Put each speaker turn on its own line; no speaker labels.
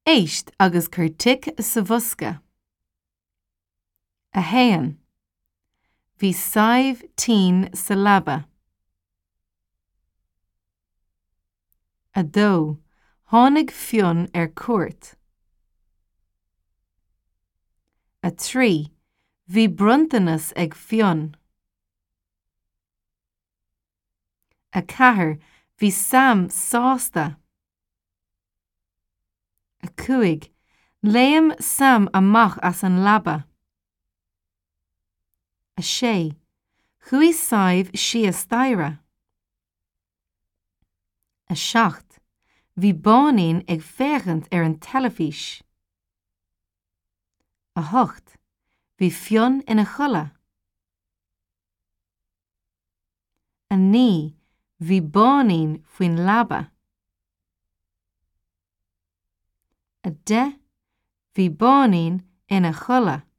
Éist agus cuir tic sa bhosca. 1. Bhí Sadhbh tinn sa leaba. 2. Tháinig Fionn ar cuairt. 3. Bhí bronntanas ag Fionn. 4. Bhí Sam sásta. 5. Léim Sam amach as an leaba. 6. Chuaigh Sadhbh síos staighre. 7. Bhí Báinín ag féachaint ar an teilifís. 8. Bhí Fionn ina chodladh. 9. Bhí Báinín faoin leaba. 10. Bhí Báinín ina chodladh.